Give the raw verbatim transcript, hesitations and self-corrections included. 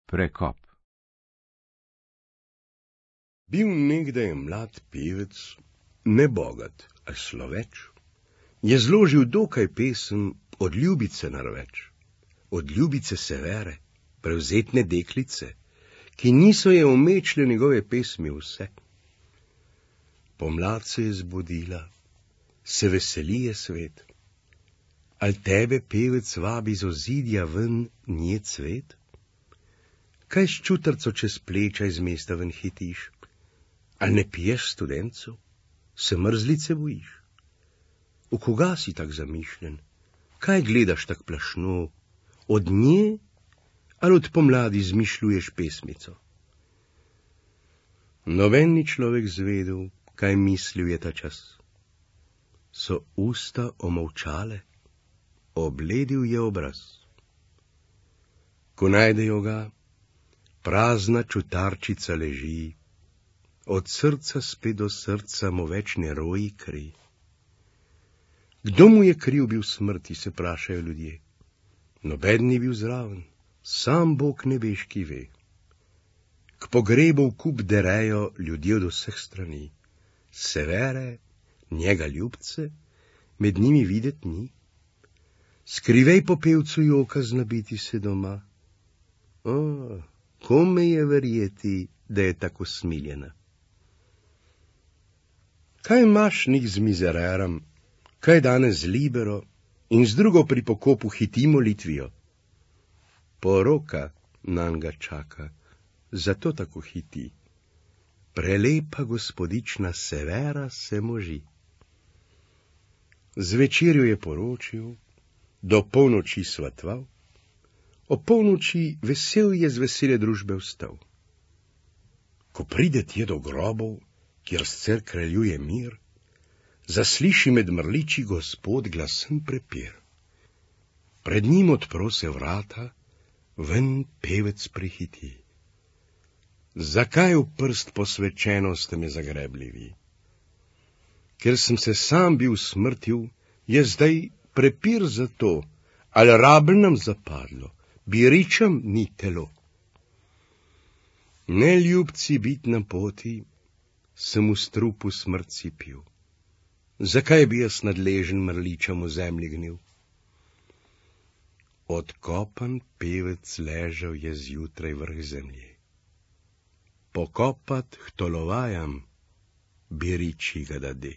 Prekop. Bil nekdaj mlad pevec, ne bogat, a sloveč, je zložil dokaj pesem od ljubice narveč, od ljubice Severe, prevzetne deklice, ki niso je omečle njegove pesmi vse. Pomlad se je zbudila, se veseli je svet, al tebe, pevec, vabi z ozidja ven nje cvet? Kaj s čutrco čez pleča iz mesta ven hitiš? Al ne piješ studencu? Se mrzlice bojiš? V koga si tak zamišljen? Kaj gledaš tak plašno? Od nje ali od pomladi izmišljuješ pesmico? Noben ni človek zvedel, kaj mislil je ta čas. So usta omolčale, obledil je obraz. Ko najdejo ga, prazna čutarčica leži, od srca spet do srca mu več ne roji kri. Kdo mu je kriv bil smrti, se prašajo ljudje. Noben ni bil zraven, sam Bog nebeški ve. K pogrebu v kup derejo ljudje od vseh strani. Severe, njega ljubce, med njimi videt ni. Skrivej po pevcu joka znabiti se doma. O, kome je verjeti, da je tako smiljena? Kaj imaš nik z mizererom, kaj danes z libero in z drugo pri pokopu hiti molitvijo? Poroka nanj ga čaka, zato tako hiti. Prelepa gospodična Severa se moži. Zvečer jo je poročil, do polnoči svatval, o polnoči vesel je z vesele družbe vstal. Ko pride tje do grobov, kjer scer kraljuje mir, zasliši med mrliči Gospod glasen prepir. Pred njim odpro se vrata, ven pevec prihiti. Zakaj v prst posvečeno ste me zagrebli vi? Ker sem se sam bil smrtil, je zdaj prepir za to, ali rabl nam zapadlo, bi ričem ni telo. Neljubci bit na poti, sem v strupu smrtci pil. Zakaj bi jaz nadležen mrličem v zemlji gnil? Odkopan pevec ležal je zjutraj vrh zemlje. Pokopat k tolovajam, bi riči ga dade.